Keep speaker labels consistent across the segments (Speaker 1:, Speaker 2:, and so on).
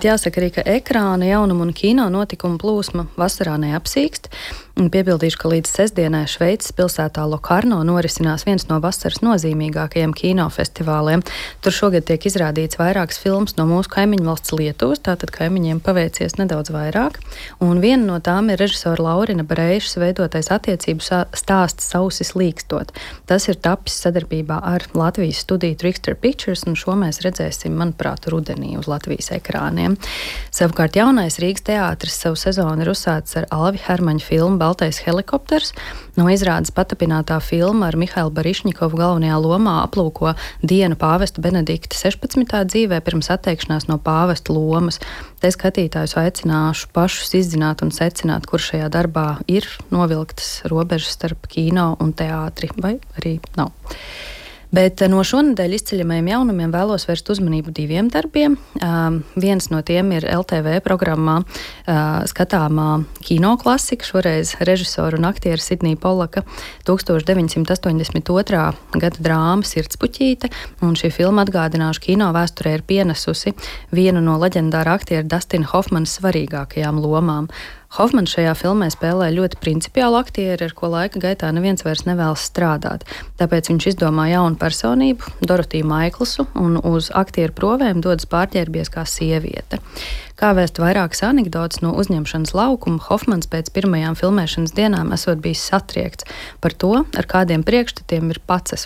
Speaker 1: Jāsaka arī, ka ekrāna, jaunuma un kino notikumu plūsma vasarā neapsīkst. Piebildīšu, ka līdz sestdienai Šveices pilsētā Lokarno norisinās viens no vasaras nozīmīgākajiem kinofestivāliem. Tur šogad tiek izrādīts vairākas filmas no mūsu kaimiņu valsts Lietuvas, tātad kaimiņiem paveicies nedaudz vairāk. Un viena no tām ir režisora Laurina Breišas veidotais attiecību stāsts Sausis līkstot. Tas ir tapis sadarbībā ar Latvijas studiju Trickster Pictures, un šo mēs redzēsim, manuprāt, rudenī uz Latvijas ekrāniem. Savukārt jaunais Rīgas teātris savu sezonu ir uzsācis ar Alvi Hermaņa filmu Baltais helikopters. No izrādes patapinātā filma ar Mihailu Barišņikovu galvenajā lomā aplūko dienu pāvesta Benedikta 16. dzīvē pirms atteikšanās no pāvesta lomas. Te skatītājus aicināšu pašus izzināt un secināt, kur šajā darbā ir novilktas robežas starp kino un teātri, vai arī nav. Bet no šonedēļ izceļamajiem jaunumiem vēlos vērst uzmanību diviem darbiem. Viens no tiem ir LTV programmā skatāmā kino klasika, šoreiz režisora un aktiera Sidnija Polaka 1982. Gada drāma Sirdspuķīte, un šī filma, atgādināšu, kino vēsturē ir pienesusi vienu no leģendāra aktiera Dustina Hofmana svarīgākajām lomām. Hofmans šajā filmē spēlē ļoti principiālu aktieri, ar ko laika gaitā neviens vairs nevēlas strādāt. Tāpēc viņš izdomā jaunu personību, Dorotiju Maiklsu, un uz aktieru provēm dodas pārģērbies kā sieviete. Kā vēst vairākas anekdotas no uzņemšanas laukuma, Hofmans pēc pirmajām filmēšanas dienām esot bijis satriekts par to, ar kādiem priekšstatiem ir pats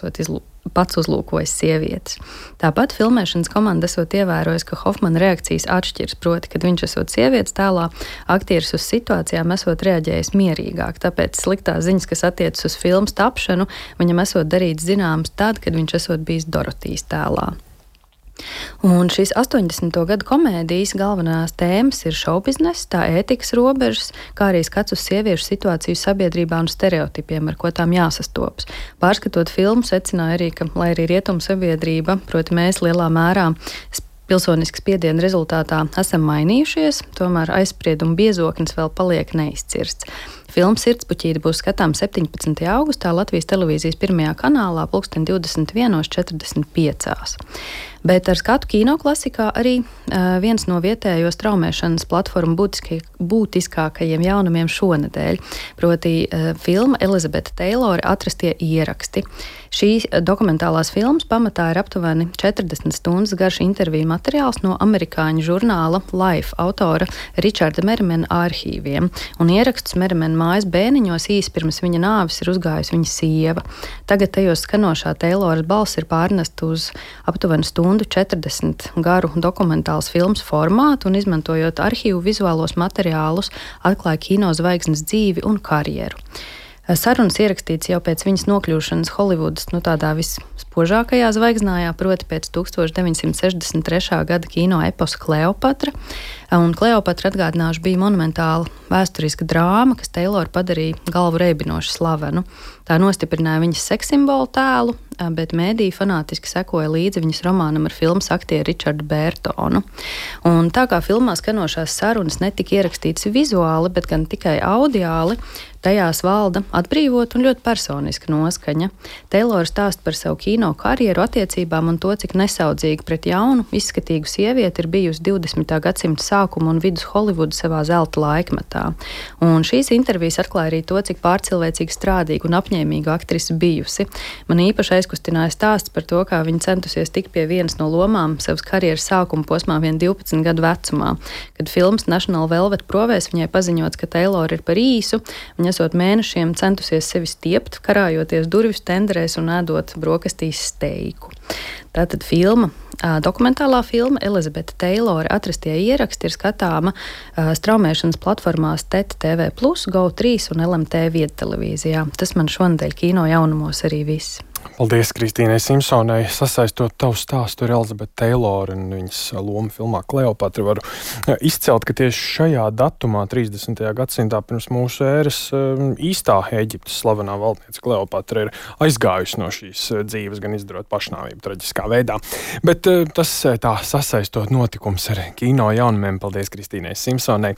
Speaker 1: uzlūkojis sievietes. Tāpat filmēšanas komanda esot ievērojis, ka Hofmana reakcijas atšķiras, proti, kad viņš esot sievietes tēlā, aktieris uz situācijām esot reaģējis mierīgāk. Tāpēc sliktās ziņas, kas attiecas uz filmas tapšanu, viņam esot darīts zināms tad, kad viņš esot bijis Dorotijas tēlā. Un šīs 80. gadu komēdijas galvenās tēmas ir šoubiznes, tā ētikas robežas, kā arī skats uz sieviešu situāciju sabiedrībā un stereotipiem, ar ko tām jāsastopas. Pārskatot filmu, secināja arī, ka, lai arī rietumu sabiedrība, proti mēs lielā mērā pilsoniskas spiediena rezultātā esam mainījušies, tomēr aizsprieduma biezoknis vēl paliek neizcirsts. Filma Sirdspuķīte būs skatām 17. augustā Latvijas televīzijas pirmajā kanālā 21:45. Bet ar skatu kino klasikā arī viens no vietējo straumēšanas platformu būtiskākajiem jaunumiem šonedēļ, proti filma Elizabete Teilore Atrastie ieraksti. Šīs dokumentālās filmas pamatā ir aptuveni 40 stundas garš interviju materiāls no amerikāņu žurnāla Life autora Richarda Merimena arhīviem, un ierakstus Merimena mājas bēniņos īsi pirms viņa nāves ir uzgājusi viņa sieva. Tagad tajos skanošā Teiloras balss ir pārnesta uz aptuveni stundu 40 garu dokumentālas filmas formātu, un izmantojot arhīvu vizuālos materiālus, atklāja kino zvaigznes dzīvi un karjeru. Sarunas ierakstīts jau pēc viņas nokļūšanas Holivudas tādā vispožākajā zvaigznājā, proti pēc 1963. gada kino eposa Kleopatra. Un Kleopatra, atgādināšu, bija monumentāla vēsturiska drāma, kas Teiloru padarīja galvu reibinoši slavenu. Tā nostiprināja viņas sekssimbolu tēlu, bet mēdīji fanātiski sekoja līdzi viņas romānam ar filmas aktieru Richardu Bērtonu. Un tā kā filmā skanošās sarunas netika ierakstītas vizuāli, bet gan tikai audiāli, tajās valda atbrīvot un ļoti personiska noskaņa. Teilora stāsta par savu kino karjeru, attiecībām un to, cik nesaudzīgi pret jaunu, izskatīgu sievieti ir bijusi 20. gadsimta sākuma un vidus Holivuda savā zelta laikmetā. Un šīs intervijas atklāja arī to, cik pārcilvēcīgi strādīga un apņēmīga aktrise bijusi. Man īpaši aizkustināja stāsts par to, kā viņa centusies tikt pie vienas no lomām savas karjeras sākuma posmā vien 12 gadu vecumā. Kad filmas National Velvet provēs viņai paziņots, ka Teilora ir par īsu, viņa esot mēnešiem centusies sevi stiept, karājoties durvis tenderēs un ēdot brokastīs steiku. Tātad dokumentālā filma Elizabete Teilore Atrastie ieraksti ir skatāma straumēšanas platformās TET TV+, GO3 un LMT viedtelevīzijā. Tas man šonadēļ kino jaunumos arī viss.
Speaker 2: Paldies Kristīnai Simpsonai. Sasaistot tavu stāstu ar Elizabeti Teilori un viņas lomu filmā Kleopatra, varu izcelt, ka tieši šajā datumā, 30. gadsimtā pirms mūsu ēras, īstā Ēģiptes slavenā valdniece Kleopatra ir aizgājusi no šīs dzīves, gan izdarot pašnāvību traģiskā veidā. Bet tas tā sasaistot notikums ar kino jaunumiem. Paldies Kristīnai Simpsonai.